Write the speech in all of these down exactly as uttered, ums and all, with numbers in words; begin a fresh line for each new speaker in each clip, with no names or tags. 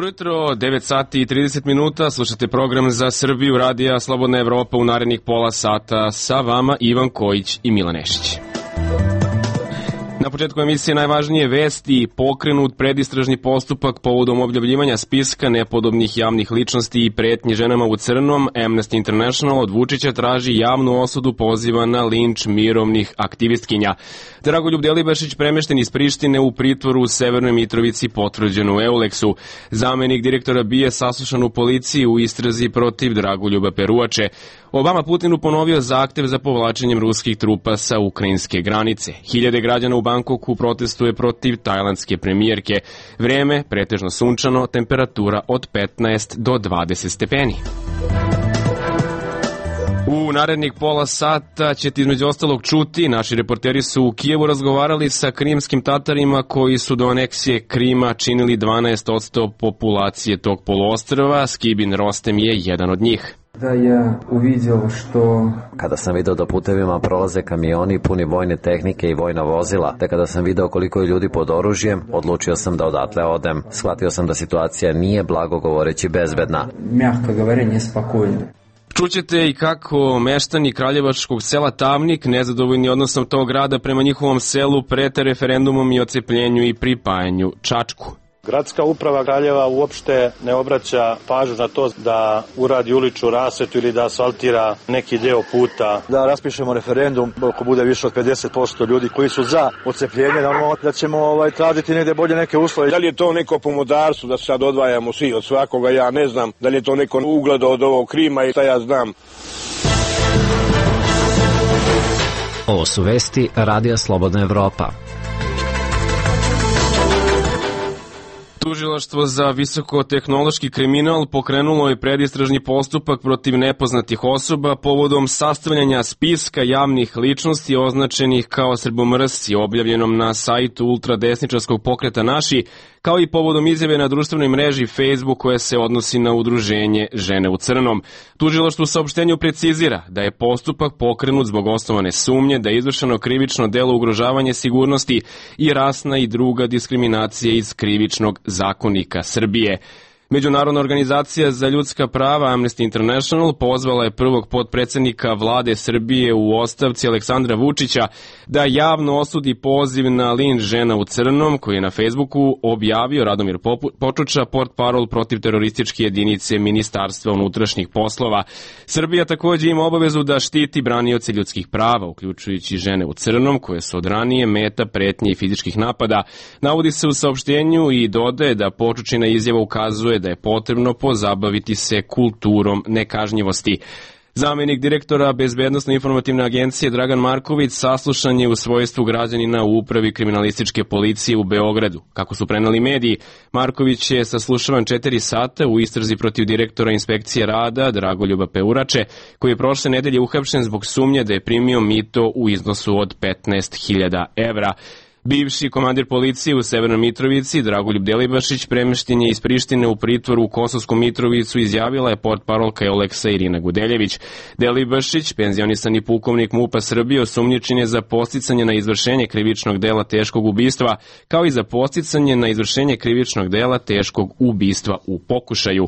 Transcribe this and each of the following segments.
Jutro, devet sati i trideset minuta, slušate program za Srbiju, radija Slobodna Evropa u narednih pola sata, sa vama Ivan Kojić i Milan Nešić. Na početku emisije najvažnije vesti: pokrenut predistražni postupak povodom objavljivanja spiska nepodobnih javnih ličnosti i pretnji ženama u crnom. Amnesty International od Vučića traži javnu osudu poziva na linč mirovnih aktivistkinja. Dragoljub Delibašić premešten iz Prištine u pritvoru u Severnoj Mitrovici, potvrđeno u Euleksu. Zamenik direktora B I A saslušan u policiji u istrazi protiv Dragoljuba Peruače. Obama Putinu ponovio zahtev za povlačenjem ruskih trupa sa ukrajinske granice. Hiljade građana u Bankoku protestuje protiv tajlandske premijerke. Vreme pretežno sunčano, temperatura od petnaest do dvadeset stepeni. U narednih pola sata ćete između ostalog čuti, naši reporteri su u Kijevu razgovarali sa krimskim Tatarima koji su do aneksije Krima činili dvanaest posto populacije tog poluostrva. Skibin Rostem je jedan od njih.
Da ja uvidio što...
Kada sam video da putevima prolaze kamioni puni vojne tehnike i vojna vozila, te kada sam video koliko je ljudi pod oružjem, odlučio sam da odatle odem. Shvatio sam da situacija nije, blago govoreći, bezbedna.
Mjako govorenje, spokojno.
Čućete i kako meštani kraljevačkog sela Tavnik, nezadovoljni odnosom tog grada prema njihovom selu, prete referendumom i ocepljenju i pripajanju Čačku.
Gradska uprava Kraljeva uopšte ne obraća pažnju na to da uradi uličnu rasvetu ili da asfaltira neki deo puta.
Da raspišemo referendum, ako bude više od pedeset posto ljudi koji su za ocepljenje, normalno da ćemo ovaj, tražiti negde bolje neke uslove.
Da li je to neko pomodarstvo da sad odvajamo svi od svakoga, ja ne znam. Da li je to neko ugledo od ovog Krima i šta ja znam.
Ovo su vesti Radija Slobodna Evropa.
Tužilaštvo za visokotehnološki kriminal pokrenulo je predistražni postupak protiv nepoznatih osoba povodom sastavljanja spiska javnih ličnosti označenih kao srbomrsci, objavljenom na sajtu ultradesničarskog pokreta Naši, kao i povodom izjave na društvenoj mreži Facebook koja se odnosi na udruženje Žene u crnom. Tužilaštvo u saopštenju precizira da je postupak pokrenut zbog osnovane sumnje da je izvršeno krivično delo ugrožavanje sigurnosti i rasna i druga diskriminacija iz krivičnog zakonika Srbije. Međunarodna organizacija za ljudska prava Amnesty International pozvala je prvog potpredsednika vlade Srbije u ostavci Aleksandra Vučića da javno osudi poziv na linč žena u crnom koji je na Facebooku objavio Radomir Počuča, portparol protiv terorističke jedinice Ministarstva unutrašnjih poslova. Srbija takođe ima obavezu da štiti branioce ljudskih prava, uključujući žene u crnom koje su od ranije meta pretnje i fizičkih napada. Navodi se u saopštenju i dodaje da Počučina izjava ukazuje da je potrebno pozabaviti se kulturom nekažnjivosti. Zamenik direktora Bezbednosno-informativne agencije Dragan Marković saslušan je u svojstvu građanina u upravi kriminalističke policije u Beogradu. Kako su preneli mediji, Marković je saslušavan četiri sata u istrazi protiv direktora inspekcije rada Dragoljuba Peruače, koji je prošle nedelje uhapšen zbog sumnje da je primio mito u iznosu od petnaest hiljada evra. Bivši komandir policije u Severnoj Mitrovici, Dragoljub Delibašić, premešten je iz Prištine u pritvoru u Kosovsku Mitrovicu, izjavila je portparolka Euleksa Irina Gudeljević. Delibašić, penzionisani pukovnik MUP-a Srbije, osumnjičen je za podsticanje na izvršenje krivičnog dela teškog ubistva, kao i za podsticanje na izvršenje krivičnog dela teškog ubistva u pokušaju.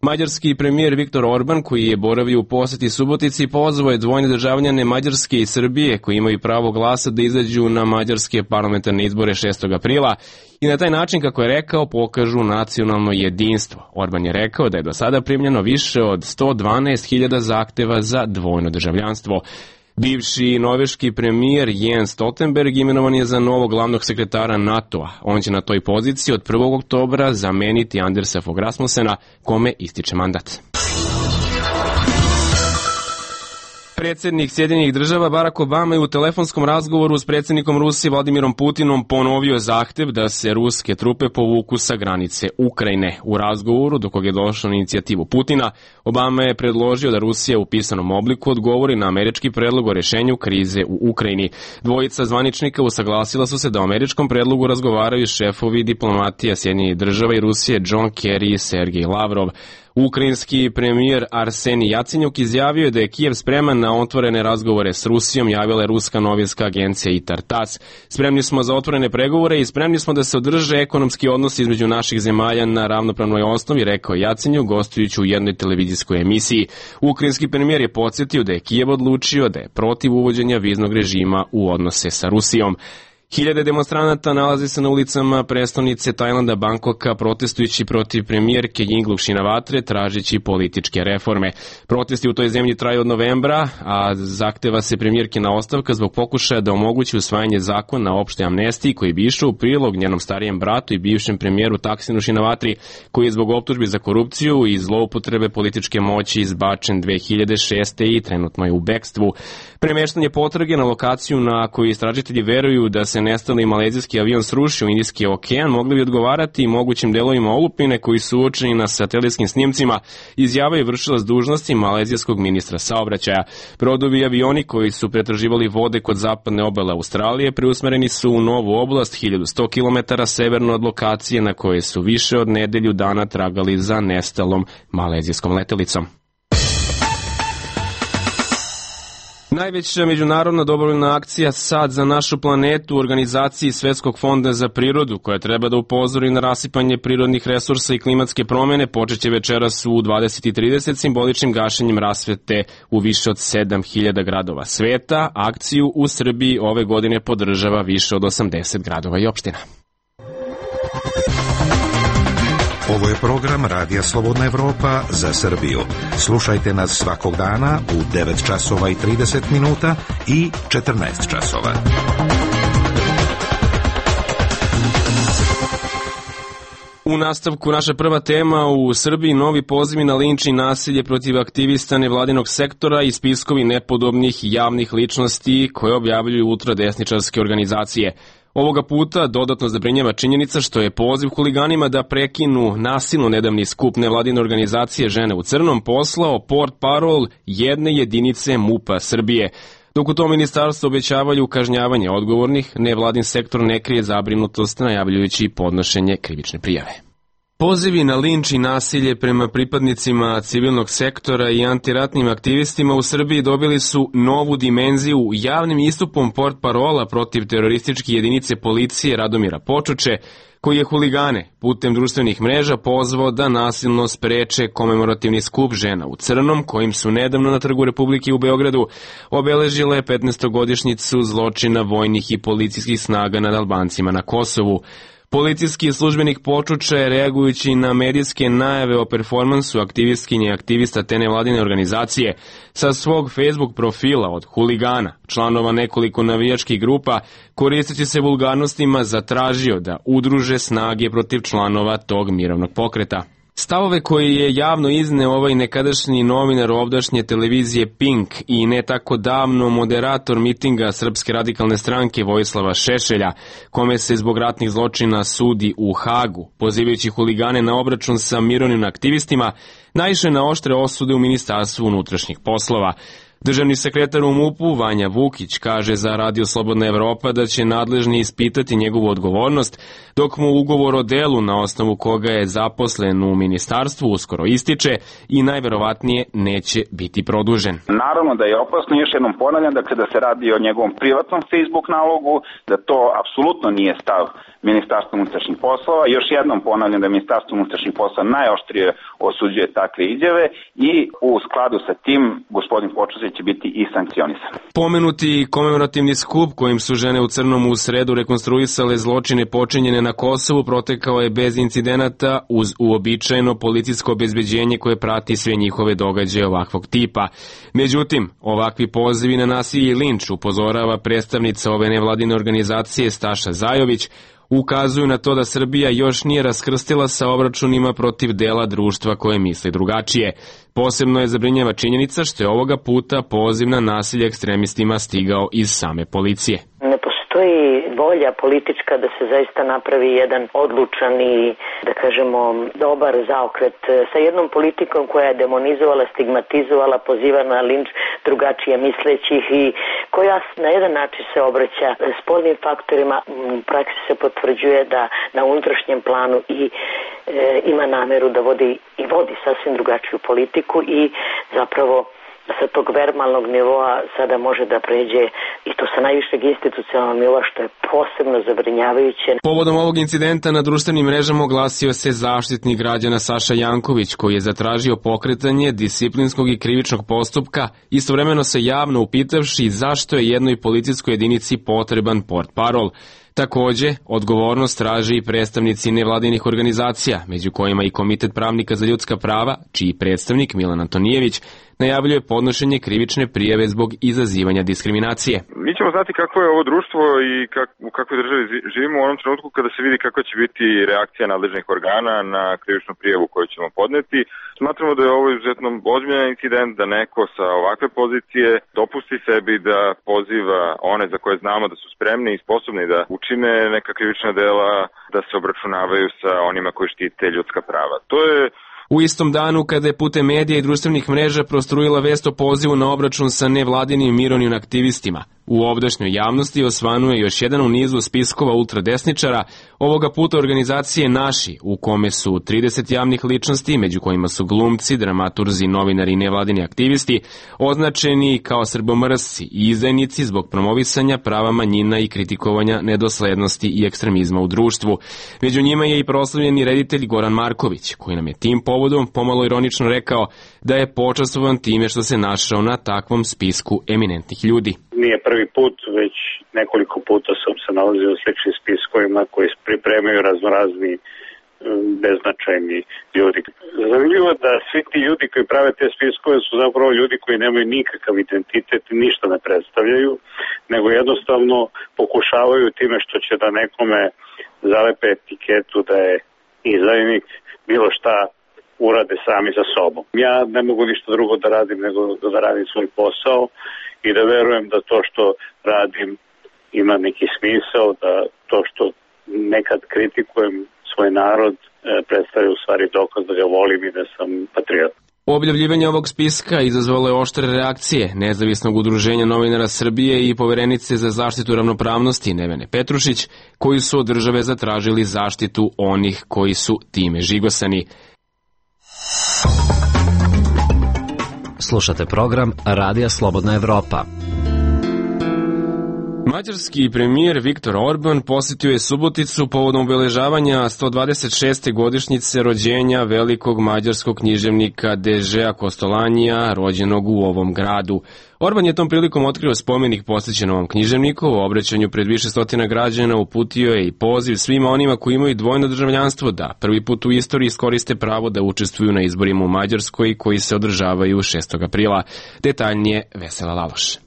Mađarski premijer Viktor Orban, koji je boravio u poseti Subotici, pozvao je dvojne državljane Mađarske i Srbije koji imaju pravo glasa da izađu na mađarske parlamentarne izbore šestog aprila i na taj način, kako je rekao, pokažu nacionalno jedinstvo. Orban je rekao da je do sada primljeno više od sto dvanaest hiljada zahteva za dvojno državljanstvo. Bivši norveški premijer Jens Stoltenberg imenovan je za novog glavnog sekretara NATO-a. On će na toj poziciji od prvog oktobra zameniti Andersa Fogh Rasmussena, kome ističe mandat. Predsjednik Sjedinjenih država Barack Obama je u telefonskom razgovoru s predsjednikom Rusije Vladimirom Putinom ponovio zahtev da se ruske trupe povuku sa granice Ukrajine. U razgovoru, do kog je došlo na inicijativu Putina, Obama je predložio da Rusija u pisanom obliku odgovori na američki predlog o rešenju krize u Ukrajini. Dvojica zvaničnika usaglasila su se da o američkom predlogu razgovaraju šefovi diplomatija Sjedinjenih država i Rusije John Kerry i Sergej Lavrov. Ukrajinski premijer Arsenij Jacenjuk izjavio je da je Kijev spreman na otvorene razgovore s Rusijom, javila je ruska novinska agencija I T A R TASS. Spremni smo za otvorene pregovore i spremni smo da se održe ekonomski odnosi između naših zemalja na ravnopravnoj osnovi, rekao Jacenjuk gostujući u jednoj televizijskoj emisiji. Ukrajinski premijer je podsjetio da je Kijev odlučio da je protiv uvođenja viznog režima u odnose sa Rusijom. Hiljade demonstranata nalazi se na ulicama prestonice Tajlanda Bangkoka protestujući protiv premijerke Yingluck Shinawatre tražeći političke reforme. Protesti u toj zemlji traju od novembra, a zahteva se premijerkina ostavka zbog pokušaja da omogući usvajanje zakona o opštoj amnestiji koji bi išao u prilog njenom starijem bratu i bivšem premijeru Taksinu Shinawatri, koji je zbog optužbi za korupciju i zloupotrebe političke moći izbačen dve hiljade šeste. i trenutno je u bekstvu. Premeštanje potrage na lokaciju na koju istražitelji veruju da se nestali malezijski avion srušio u Indijski okean mogli bi odgovarati mogućim delovima olupine koji su uočeni na satelitskim snimcima, izjavio je vršilac dužnosti malezijskog ministra saobraćaja. Brodovi i avioni koji su pretraživali vode kod zapadne obale Australije preusmereni su u novu oblast hiljadu sto kilometara severno od lokacije na koje su više od nedelju dana tragali za nestalom malezijskom letelicom. Najveća međunarodna dobrovoljna akcija Sad za našu planetu u organizaciji Svetskog fonda za prirodu, koja treba da upozori na rasipanje prirodnih resursa i klimatske promene, počeće večeras u dvadeset i trideset simboličnim gašenjem rasvete u više od sedam hiljada gradova sveta. Akciju u Srbiji ove godine podržava više od osamdeset gradova i opština.
Ovo je program Radija Slobodna Evropa za Srbiju. Slušajte nas svakog dana u devet časova i trideset minuta i četrnaest časova.
U nastavku naša prva tema, u Srbiji novi pozivi na linč i nasilje protiv aktivista nevladinog sektora i spiskovi nepodobnih javnih ličnosti koje objavljuju ultradesničarske organizacije. Ovoga puta dodatno zabrinjava činjenica što je poziv huliganima da prekinu nasilno nedavni skup nevladine organizacije Žene u crnom poslao portparol jedne jedinice MUP-a Srbije. Dok u tom ministarstvu obećavaju kažnjavanje odgovornih, nevladin sektor ne krije zabrinutost najavljujući podnošenje krivične prijave. Pozivi na linč i nasilje prema pripadnicima civilnog sektora i antiratnim aktivistima u Srbiji dobili su novu dimenziju javnim istupom portparola protiv terorističke jedinice policije Radomira Počuče, koji je huligane putem društvenih mreža pozvao da nasilno spreče komemorativni skup Žena u crnom, kojim su nedavno na Trgu Republike u Beogradu obeležile petnaestogodišnjicu zločina vojnih i policijskih snaga nad Albancima na Kosovu. Policijski službenik Počuča je, reagujući na medijske najave o performansu aktivistkinje i aktivista te nevladine organizacije, sa svog Facebook profila od huligana, članova nekoliko navijačkih grupa, koristeći se vulgarnostima, zatražio da udruže snage protiv članova tog mirovnog pokreta. Stavove koje je javno izneo ovaj nekadašnji novinar ovdašnje televizije Pink i ne tako davno moderator mitinga Srpske radikalne stranke Vojislava Šešelja, kome se zbog ratnih zločina sudi u Hagu, pozivajući huligane na obračun sa mirovnim aktivistima, naišao na oštre osude u Ministarstvu unutrašnjih poslova. Državni sekretar u MUP-u Vanja Vukić kaže za Radio Slobodna Evropa da će nadležni ispitati njegovu odgovornost, dok mu ugovor o delu na osnovu koga je zaposlen u ministarstvu uskoro ističe i najverovatnije neće biti produžen.
Naravno da je opasno, još jednom ponavljam, dakle da se radi o njegovom privatnom Facebook nalogu, da to apsolutno nije stav Ministarstva unutrašnjih poslova. Još jednom ponavljam da Ministarstvo unutrašnjih poslova najoštrije osuđuje takve izjave i u skladu sa tim gospodin Počuč će biti i sankcionisan.
Pomenuti komemorativni skup kojim su Žene u crnom u sredu rekonstruisale zločine počinjene na Kosovu protekao je bez incidenata uz uobičajeno policijsko obezbeđenje koje prati sve njihove događaje ovakvog tipa. Međutim, ovakvi pozivi na nasilje i linč, upozorava predstavnica ove nevladine organizacije Staša Zajović, ukazuju na to da Srbija još nije raskrstila sa obračunima protiv dela društva koje misli drugačije. Posebno je zabrinjava činjenica što je ovoga puta poziv na nasilje ekstremistima stigao iz same policije.
Ne postoji postoji volja politička da se zaista napravi jedan odlučan i, da kažemo, dobar zaokret sa jednom politikom koja je demonizovala, stigmatizovala, poziva na linč drugačije mislećih i koja na jedan način se obraća spoljnim faktorima. U praksi se potvrđuje da na unutrašnjem planu i e, ima nameru da vodi i vodi sasvim drugačiju politiku i zapravo sa tog verbalnog nivoa sada može da pređe i to sa najvišeg institucionalnog nivoa, što je posebno zabrinjavajuće.
Povodom ovog incidenta na društvenim mrežama oglasio se Zaštitnik građana Saša Janković, koji je zatražio pokretanje disciplinskog i krivičnog postupka, istovremeno se javno upitavši zašto je jednoj policijskoj jedinici potreban portparol. Takođe, odgovornost traže i predstavnici nevladinih organizacija, među kojima i Komitet pravnika za ljudska prava, čiji predstavnik Milan Antonijević najavljuje podnošenje krivične prijave zbog izazivanja diskriminacije.
Mi ćemo znati kako je ovo društvo i kak, u kakvoj državi živimo u onom trenutku kada se vidi kakva će biti reakcija nadležnih organa na krivičnu prijavu koju ćemo podneti. Smatramo da je ovo izuzetno ozbiljan incident, da neko sa ovakve pozicije dopusti sebi da poziva one za koje znamo da su spremni i sposobni da učine neka krivična dela, da se obračunavaju sa onima koji štite ljudska prava. To je
U istom danu, kada je putem medija i društvenih mreža prostrujila vest o pozivu na obračun sa nevladinim mirovnim aktivistima, u ovdašnjoj javnosti osvanuje još jedan u nizu spiskova ultradesničara, ovoga puta organizacije Naši, u kome su trideset javnih ličnosti, među kojima su glumci, dramaturzi, novinari i nevladini aktivisti, označeni kao srbomrsci i izdajnici zbog promovisanja prava manjina i kritikovanja nedoslednosti i ekstremizma u društvu. Među njima je i proslavljeni reditelj Goran Marković, koji nam je tim povodom pomalo ironično rekao da je počastvovan time što se našao na takvom spisku eminentnih ljudi.
Nije prvi put, već nekoliko puta sam se nalazio u sličnim spiskovima koji pripremaju raznorazni beznačajni ljudi. Zanimljivo da svi ti ljudi koji prave te spiskove su zapravo ljudi koji nemaju nikakav identitet i ništa ne predstavljaju, nego jednostavno pokušavaju time što će da nekome zalepe etiketu da je izdajnik, bilo šta urade sami za sobom. Ja ne mogu ništa drugo da radim nego da radim svoj posao i da verujem da to što radim ima neki smisao, da to što nekad kritikujem svoj narod predstavlja u stvari dokaz da ga volim i da sam patriot.
Objavljivanje ovog spiska izazvalo je oštre reakcije Nezavisnog udruženja novinara Srbije i Poverenice za zaštitu ravnopravnosti Nevene Petrušić, koji su od države zatražili zaštitu onih koji su time žigosani.
Slušate program Radija Slobodna Evropa.
Mađarski premijer Viktor Orban posjetio je Suboticu povodom obeležavanja sto dvadeset šeste godišnjice rođenja velikog mađarskog književnika Dežea Kostolanija, rođenog u ovom gradu. Orban je tom prilikom otkrio spomenik posvećen ovom književniku, u obraćanju pred više stotina građana uputio je i poziv svima onima koji imaju dvojno državljanstvo da prvi put u istoriji iskoriste pravo da učestvuju na izborima u Mađarskoj koji se održavaju šestog aprila. Detaljnije Vesela Laloš.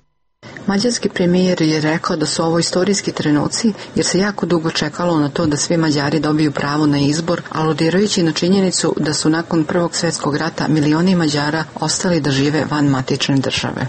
Mađarski premijer je rekao da su ovo istorijski trenuci jer se jako dugo čekalo na to da svi Mađari dobiju pravo na izbor, aludirajući na činjenicu da su nakon Prvog svjetskog rata milioni Mađara ostali da žive van matične države.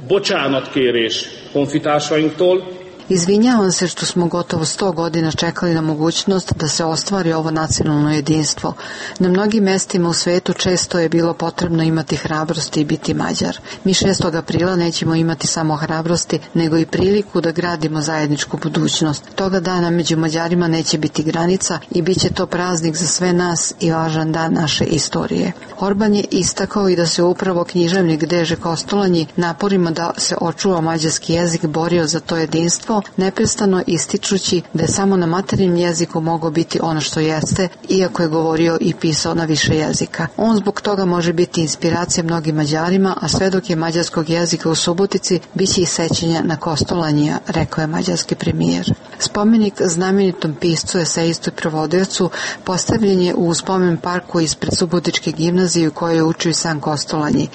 Bocsánatkérés honfitársainktól.
Izvinjavam se što smo gotovo sto godina čekali na mogućnost da se ostvari ovo nacionalno jedinstvo. Na mnogim mestima u svetu često je bilo potrebno imati hrabrosti i biti Mađar. Mi šestog aprila nećemo imati samo hrabrosti, nego i priliku da gradimo zajedničku budućnost. Toga dana među Mađarima neće biti granica i bit će to praznik za sve nas i važan dan naše istorije. Orban je istakao i da se upravo književnik Deže Kostolanji naporima da se očuva mađarski jezik borio za to jedinstvo, neprestano ističući da je samo na materinjem jeziku mogao biti ono što jeste, iako je govorio i pisao na više jezika. On zbog toga može biti inspiracija mnogim Mađarima, a sve dok je mađarskog jezika u Subotici, bit će i sećanja na Kostolanija, rekao je mađarski premijer. Spomenik znamenitom piscu, esejistu i prevodiocu postavljen je u spomen parku ispred Subotičke gimnazije u kojoj je učio sam Kostolanji.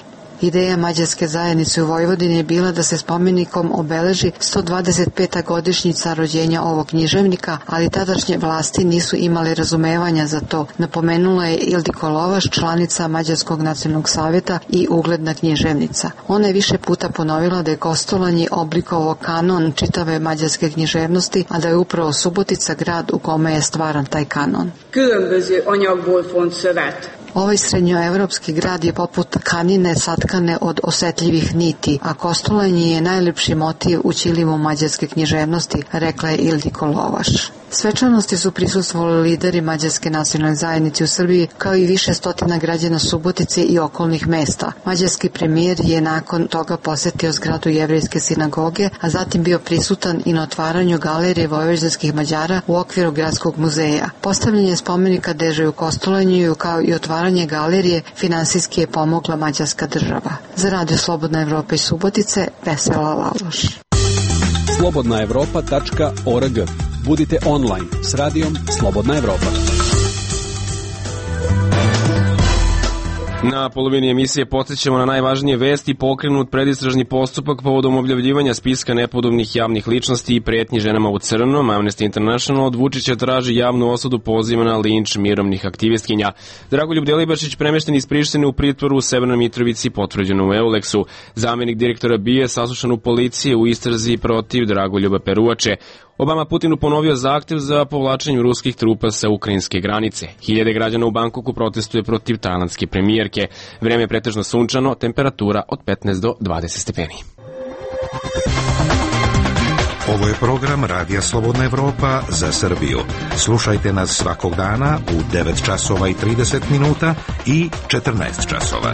Ideja mađarske zajednice u Vojvodini je bila da se spomenikom obeleži sto dvadeset peta godišnjica rođenja ovog književnika, ali tadašnje vlasti nisu imali razumevanja za to, napomenula je Ildiko Lovaš, članica Mađarskog nacionalnog savjeta i ugledna književnica. Ona je više puta ponovila da je Kostolanji oblikovao kanon čitave mađarske književnosti, a da je upravo Subotica grad u kome je stvaran taj kanon.
Különböző anyagból font szövet.
Ovaj srednjoevropski grad je poput tkanine satkane od osetljivih niti, a Kostolanji je najlepši motiv u ćilimu mađarske književnosti, rekla je Ildiko Lovaš. Svečanosti su prisustvovali lideri mađarske nacionalne zajednice u Srbiji, kao i više stotina građana Subotice i okolnih mesta. Mađarski premijer je nakon toga posetio zgradu jevrejske sinagoge, a zatim bio prisutan i na otvaranju galerije vojvođanskih Mađara u okviru gradskog muzeja. Postavljanje spomenika Dežeju Kostolanju kao i otvaranje galerije finansijski je pomogla mađarska država. Za Radio Slobodna Evropa iz Subotice, Vesela Laloš.
slobodna evropa tačka org. Budite online s radijom Slobodna Evropa.
Na polovini emisije podsjećamo na najvažnije vesti. Pokrenut predistražni postupak povodom objavljivanja spiska nepodobnih javnih ličnosti i pretnji ženama u crnom. Amnesty International od Vučića traži javnu osudu poziva na linč mirovnih aktivistkinja. Dragoljub Delibašić premešten iz Prištine u pritvoru u Severnoj Mitrovici, potvrđeno u Euleksu. Zamenik direktora B I A saslušan u policiji u istrazi protiv Dragoljuba Peruvače. Obama Putinu ponovio zahtev za povlačenjem ruskih trupa sa ukrajinske granice. Hiljade građana u Bankoku protestuje protiv tajlandske premijerke. Vreme je pretežno sunčano, temperatura od petnaest do dvadeset stepeni.
Ovo je program Radija Slobodna Evropa za Srbiju. Slušajte nas svakog dana u devet časova i trideset minuta i četrnaest časova.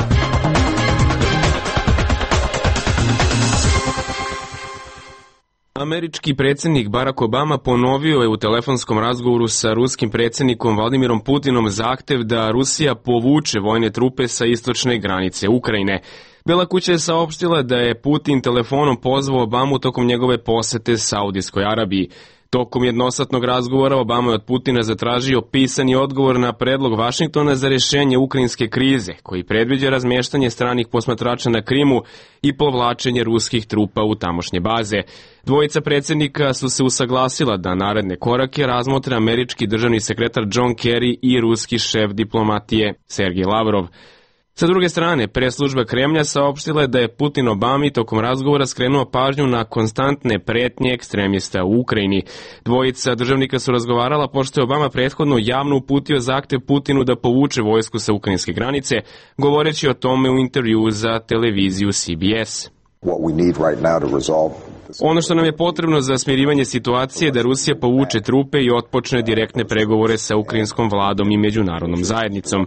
Američki predsjednik Barack Obama ponovio je u telefonskom razgovoru sa ruskim predsjednikom Vladimirom Putinom zahtev da Rusija povuče vojne trupe sa istočne granice Ukrajine. Bela kuća je saopštila da je Putin telefonom pozvao Obamu tokom njegove posete Saudijskoj Arabiji. Tokom jednosatnog razgovora Obama je od Putina zatražio pisani odgovor na predlog Vašingtona za rješenje ukrajinske krize, koji predviđa razmještanje stranih posmatrača na Krimu i povlačenje ruskih trupa u tamošnje baze. Dvojica predsjednika su se usaglasila da naredne korake razmotre američki državni sekretar John Kerry i ruski šef diplomatije Sergej Lavrov. Sa druge strane, preslužba Kremlja saopštila je da je Putin Obami tokom razgovora skrenuo pažnju na konstantne pretnje ekstremista u Ukrajini. Dvojica državnika su razgovarala pošto je Obama prethodno javno uputio zahtev Putinu da povuče vojsku sa ukrajinske granice, govoreći o tome u intervjuu za televiziju C B S. Ono što nam je potrebno za smirivanje situacije je da Rusija povuče trupe i otpočne direktne pregovore sa ukrajinskom vladom i međunarodnom zajednicom.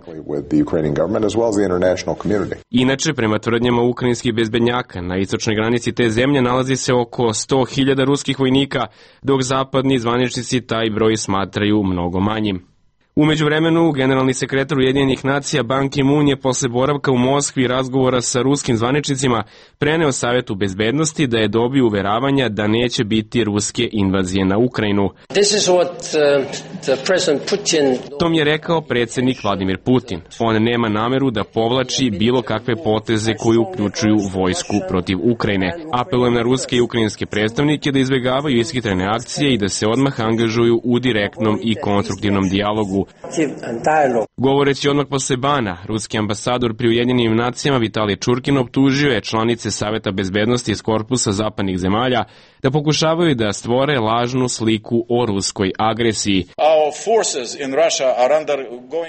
Inače, prema tvrdnjama ukrajinskih bezbednjaka, na istočnoj granici te zemlje nalazi se oko sto hiljada ruskih vojnika, dok zapadni zvaničnici taj broj smatraju mnogo manjim. U međuvremenu, generalni sekretar Ujedinjenih nacija Ban Ki-moon je posle boravka u Moskvi i razgovora sa ruskim zvaničnicima preneo Savetu bezbednosti da je dobio uveravanja da neće biti ruske invazije na Ukrajinu. Tom je rekao predsjednik Vladimir Putin. On nema nameru da povlači bilo kakve poteze koji uključuju vojsku protiv Ukrajine. Apelujem na ruske i ukrajinske predstavnike da izbjegavaju ishitrene akcije i da se odmah angažuju u direktnom i konstruktivnom dijalogu. Govoreći odmah posle Bana, ruski ambasador pri Ujedinjenim nacijama Vitalij Čurkin optužio je članice Saveta bezbednosti iz korpusa zapadnih zemalja da pokušavaju da stvore lažnu sliku o ruskoj agresiji.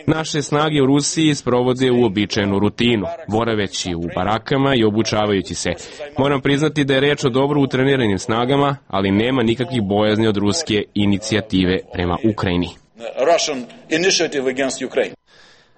Naše snage u Rusiji sprovode uobičajenu rutinu, boraveći u barakama i obučavajući se. Moram priznati da je reč o dobro utreniranim snagama, ali nema nikakvih bojazni od ruske inicijative prema Ukrajini.
Russian initiative against Ukraine.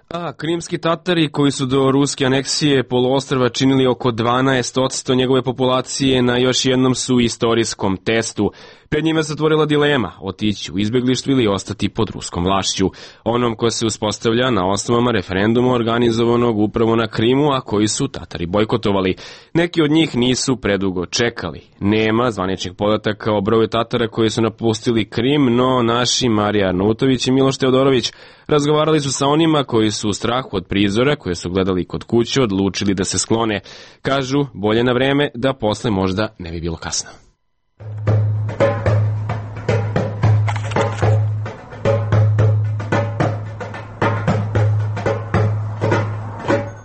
A krimski Tatari, koji su do ruske aneksije poluostrva činili oko dvanaest posto njegove populacije, na još jednom su istorijskom testu. Pred njima se otvorila dilema, otići u izbeglištvo ili ostati pod ruskom vlašću, onom ko se uspostavlja na osnovama referenduma organizovanog upravo na Krimu, a koji su Tatari bojkotovali. Neki od njih nisu predugo čekali. Nema zvaničnih podataka o broju Tatara koji su napustili Krim, no naši Marija Arnautović i Miloš Teodorović razgovarali su sa onima koji su u strahu od prizora koje su gledali kod kuće odlučili da se sklone. Kažu, bolje na vreme da posle možda ne bi bilo kasno.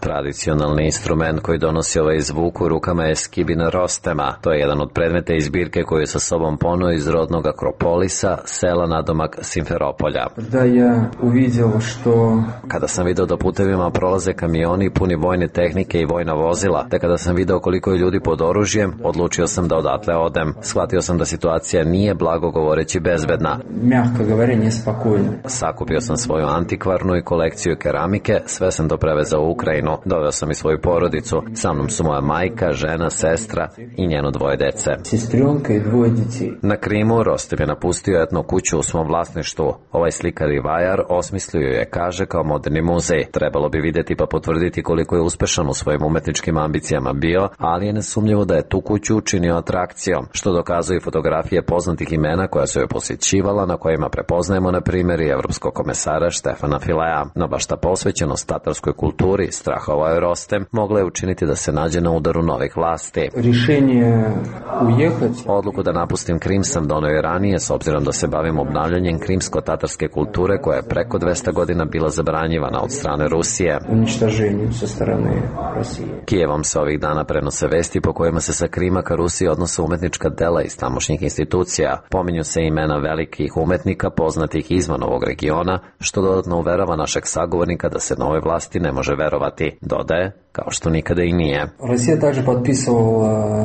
Tradicionalni instrument koji donosi ovaj zvuk u rukama je skibina Rostema. To je jedan od predmeta iz zbirke koju je sa sobom poneo iz rodnog Akropolisa, sela nadomak Simferopolja.
Da ja uvidio što...
Kada sam video da putevima prolaze kamioni puni vojne tehnike i vojna vozila, te kada sam video koliko je ljudi pod oružjem, odlučio sam da odatle odem. Shvatio sam da situacija nije, blago govoreći, bezbedna.
Mjako govore, nespokojno.
Sakupio sam svoju antikvarnu i kolekciju keramike, sve sam to prevezao u Ukrajinu. Doveo sam i svoju porodicu. Sa mnom su moja majka, žena, sestra i njeno dvoje dece.
Sestrionka i dvoje djeci.
Na Krimu Rostem je napustio etnu kuću u svom vlasništvu. Ovaj slikar i vajar osmislio je, kaže, kao moderni muzej. Trebalo bi vidjeti pa potvrditi koliko je uspešan u svojim umetničkim ambicijama bio, ali je nesumnjivo da je tu kuću učinio atrakcijom, što dokazuju i fotografije poznatih imena koja su je posjećivala, na kojima prepoznajemo na primjer i evropskog komesara Štefana Filea. No baš ta posvećenost tatarskoj kulturi, strahovao je Rostem, mogla je učiniti da se nađe na udaru novih vlasti.
Rješenje ujehati.
Odluku da napustim Krim sam donio i ranije, s obzirom da se bavim obnavljanjem krimsko-tatarske kulture koja je preko dvesta godina bila zabranjivana od strane Rusije.
Uništaženjem sa strane Rusije.
Kijevom se ovih dana prenose vesti po kojima se sa Krima ka Rusiji odnose umetnička dela iz tamošnjih institucija. Pominju se imena velikih umetnika poznatih izvan ovog regiona, što dodatno uverava našeg sagovornika da se nove vlasti ne može verovati. Dodaje, kao što nikada i nije.
Rusija također potpisovala...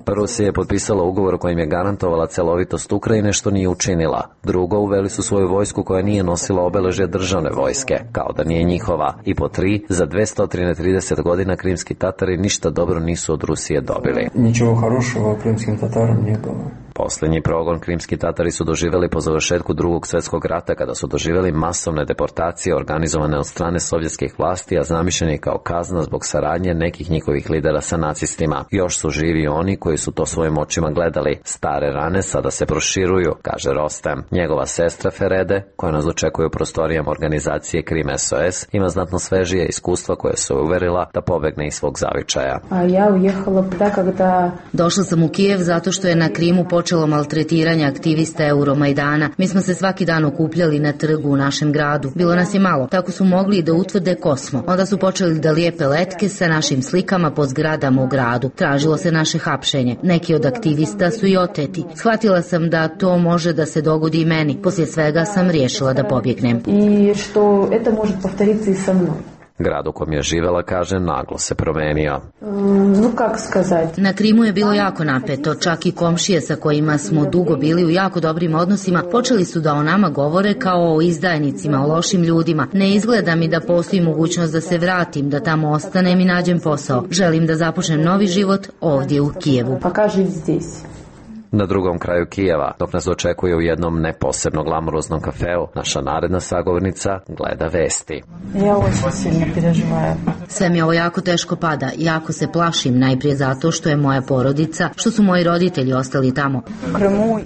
Rusija je potpisala ugovor kojim je garantovala celovitost Ukrajine, što nije učinila. Drugo, uveli su svoju vojsku koja nije nosila obeležje državne vojske, kao da nije njihova. I po tri, za dvesta trideset godina krimski Tatari ništa dobro nisu od Rusije dobili.
Ničego хорошего krimskim Tatarom nije bilo.
Posljednji progon krimski Tatari su doživjeli po završetku drugog svjetskog rata, kada su doživjeli masovne deportacije organizovane od strane sovjetskih vlasti, a zamišljeni kao kazna zbog saradnje nekih njihovih lidera sa nacistima. Još su živi oni koji su to svojim očima gledali. Stare rane sada se proširuju, kaže Rostem. Njegova sestra Ferede, koja nas očekuje u prostorijama organizacije Krim S O S, ima znatno svežije iskustva koje su uverila da pobegne iz svog zavičaja.
A ja ujehala da kada... Došla sam u Kijev zato što je na Krimu počelo maltretiranje aktivista Euromajdana. Mi smo se svaki dan okupljali na trgu u našem gradu. Bilo nas je malo, tako su mogli i da utvrde ko smo. Onda su počeli da lijepe letke sa našim slikama po zgradama u gradu. Tražilo se naše hapšenje. Neki od aktivista su i oteti. Shvatila sam da to može da se dogodi i meni. Poslije svega sam riješila da pobjegnem.
I što eto može povtoriti i sa mnom.
Grad u kom je živela, kaže, naglo se promenio.
No, kako skazati?
Na Krimu je bilo jako napeto, čak i komšije sa kojima smo dugo bili u jako dobrim odnosima počeli su da o nama govore kao o izdajnicima, o lošim ljudima. Ne izgleda mi da postoji mogućnost da se vratim, da tamo ostanem i nađem posao. Želim da započnem novi život ovdje u Kijevu.
Pa kaži zdjes.
Na drugom kraju Kijeva, dok nas očekuje u jednom neposebno glamuroznom kafeu, naša naredna sagovornica gleda vesti.
Ja ovo silno preživaju.
Sve mi ovo jako teško pada, jako se plašim, najprije zato što je moja porodica, što su moji roditelji ostali tamo.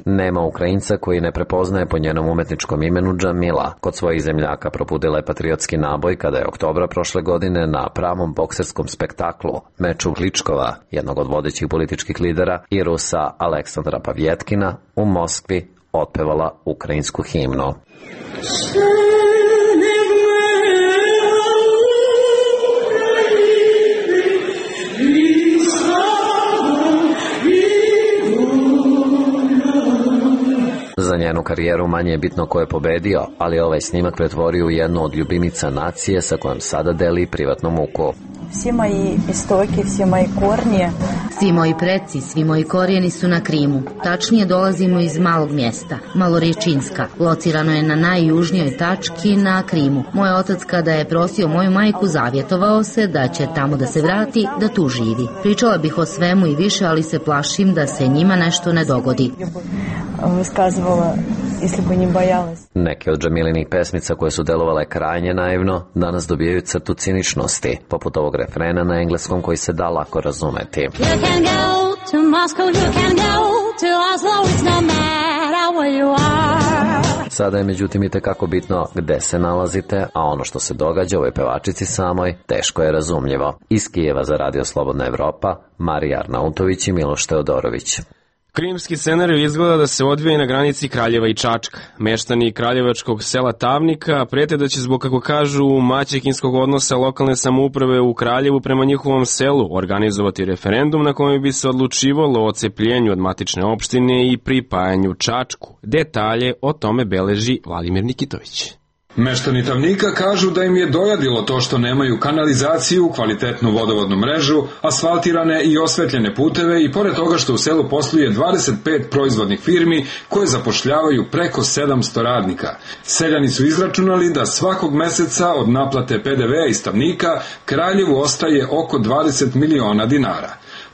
Nema Ukrajinca koji ne prepoznaje po njenom umetničkom imenu Džamila. Kod svojih zemljaka probudila je patriotski naboj kada je oktobra prošle godine na pravom bokserskom spektaklu, meču Kličkova, jednog od vodećih političkih lidera, i Rusa Aleksandra Pavjetkina, u Moskvi otpevala ukrajinsku himnu. Za njenu karijeru manje je bitno ko je pobedio, ali ovaj snimak pretvorio u jednu od ljubimica nacije sa kojom sada deli privatnu muku.
Все мои истоки, все мои корни.
Svi moji preci, svi moji korijeni su na Krimu. Tačnije dolazimo iz malog mjesta, Malorječinska. Locirano je na najjužnijoj tački na Krimu. Moj otac kada je prosio moju majku zavjetovao se da će tamo da se vrati, da tu živi. Pričala bih o svemu i više, ali se plašim da se njima nešto ne dogodi.
Высказывала, если бы не боялась.
Neke od Džamilinih pesmica koje su delovale krajnje naivno, danas dobijaju crtu ciničnosti, poput ovog refrena na engleskom koji se da lako razumeti.
You can go to Moscow, you can go to Oslo, it's no matter where you are.
Sada je međutim i tekako bitno gde se nalazite, a ono što se događa ovoj pevačici samoj teško je razumljivo. Iz Kijeva za Radio Slobodna Evropa, Marija Arnautović i Miloš Teodorović.
Krimski scenarij izgleda da se odvija i na granici Kraljeva i Čačka. Meštani kraljevačkog sela Tavnika prete da će zbog, kako kažu, maćehinskog odnosa lokalne samouprave u Kraljevu prema njihovom selu organizovati referendum na kojem bi se odlučivalo o odcepljenju od matične opštine i pripajanju Čačku. Detalje o tome beleži Vladimir Nikitović.
Meštani Tavnika kažu da im je dojadilo to što nemaju kanalizaciju, kvalitetnu vodovodnu mrežu, asfaltirane i osvetljene puteve i pored toga što u selu posluje dvadeset pet proizvodnih firmi koje zapošljavaju preko sedamsto radnika. Seljani su izračunali da svakog meseca od naplate pe de vea iz Tavnika Kraljevu ostaje oko dvadeset miliona dinara.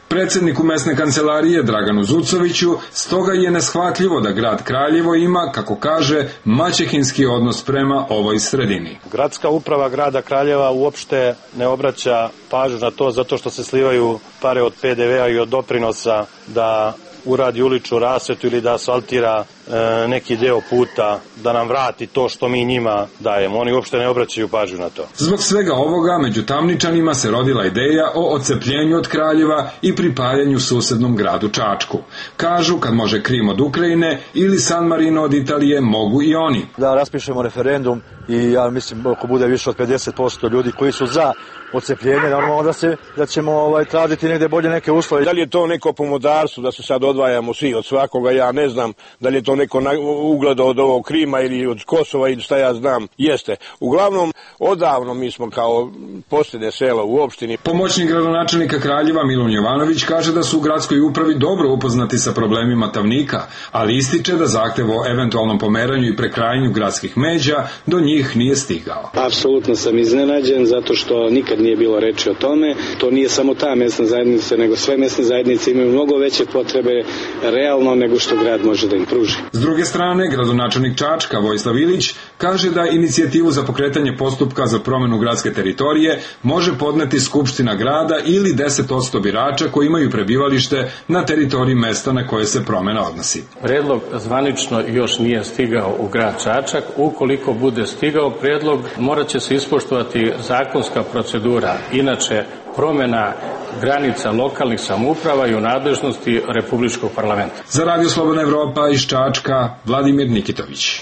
Predsedniku mesne kancelarije Draganu Zucoviću stoga je neshvatljivo da grad Kraljevo ima, kako kaže, maćehinski odnos prema ovoj sredini.
Gradska uprava grada Kraljeva uopšte ne obraća pažnju na to zato što se slivaju pare od pe de vea i od doprinosa da uradi uličnu rasvetu ili da asfaltira e, neki deo puta, da nam vrati to što mi njima dajemo. Oni uopšte ne obraćaju pažnju na to.
Zbog svega ovoga, među Tamničanima se rodila ideja o odcepljenju od Kraljeva i pripajanju susednom gradu Čačku. Kažu, kad može Krim od Ukrajine ili San Marino od Italije, mogu i oni.
Da raspišemo referendum i ja mislim ako bude više od pedeset posto ljudi koji su za odcepljenje, normalno da, se, da ćemo ovaj, tražiti negde bolje neke uslove.
Da li je to neko pomodarstvo da se sad odvajamo svi od svakoga, ja ne znam, da li je to neko ugledao od ovog Krima ili od Kosova ili šta ja znam, jeste. Uglavnom, odavno mi smo kao posljednje selo u opštini.
Pomoćnik gradonačelnika Kraljeva Milun Jovanović kaže da su u gradskoj upravi dobro upoznati sa problemima Tavnika, ali ističe da zahtev o eventualnom pomeranju i prekrajanju gradskih međa do njih nije stigao.
Apsolutno sam iznenađen zato što nikad nije bilo reči o tome. To nije samo ta mesna zajednica, nego sve mesne zajednice imaju mnogo veće potrebe realno nego što grad može da im pruži.
S druge strane, gradonačelnik Čačka Vojislav Ilić kaže da inicijativu za pokretanje postupka za promenu gradske teritorije može podneti Skupština grada ili deset posto birača koji imaju prebivalište na teritoriji mesta na koje se promena odnosi.
Predlog zvanično još nije stigao u grad Čačak. Ukoliko bude stigao predlog, morat će se ispoštovati zakonska procedura. Inače, promena granica lokalnih samouprava i u nadležnosti Republičkog parlamenta.
Za Radio Slobodna Evropa iz Čačka, Vladimir Nikitović.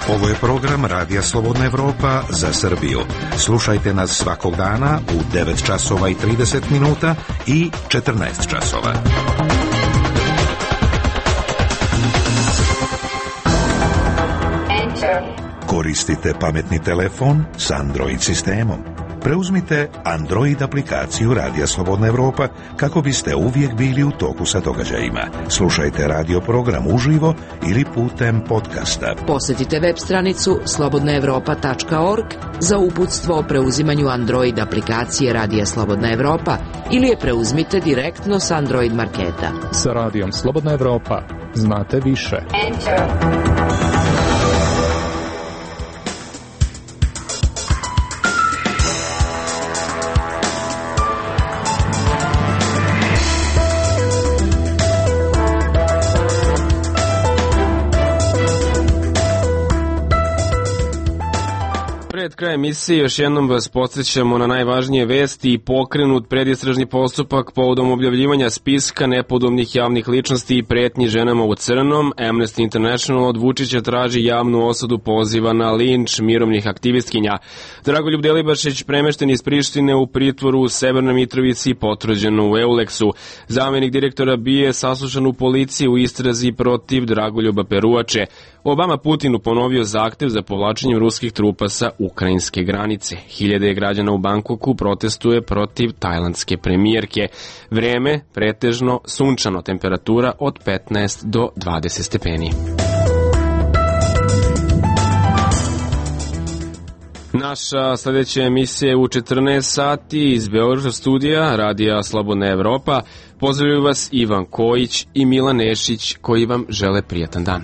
Ovo je program Radija Slobodna Evropa za Srbiju. Slušajte nas svakog dana u devet časova i trideset minuta i četrnaest časova. Koristite pametni telefon s Android sistemom. Preuzmite Android aplikaciju Radija Slobodna Evropa kako biste uvijek bili u toku sa događajima. Slušajte radio program uživo ili putem podcasta.
Posjetite web stranicu slobodna evropa tačka org za uputstvo o preuzimanju Android aplikacije Radija Slobodna Evropa ili je preuzmite direktno s Android marketa.
Sa Radijom Slobodna Evropa znate više. Enter.
Pred kraj emisije još jednom vas podsjećamo na najvažnije vesti i pokrenut predistražni postupak povodom objavljivanja spiska nepodobnih javnih ličnosti i pretnji ženama u crnom. Amnesty International od Vučića traži javnu osudu poziva na linč mirovnih aktivistkinja. Dragoljub Delibašić premešten iz Prištine u pritvoru u Severnoj Mitrovici i potvrđeno u Euleksu. Zamenik direktora B I A saslušan u policiji u istrazi protiv Dragoljuba Peruače. Obama Putinu ponovio zahtev za povlačenjem ruskih trupa sa ukrajinske granice. Hiljade građana u Bangkoku protestuje protiv tajlandske premijerke. Vreme pretežno sunčano, temperatura od petnaest do dvadeset stepeni. Naša sledeća emisija je u četrnaest sati iz Beogradskog studija Radija Slobodna Evropa. Pozdravljaju vas Ivan Kojić i Milan Nešić koji vam žele prijatan dan.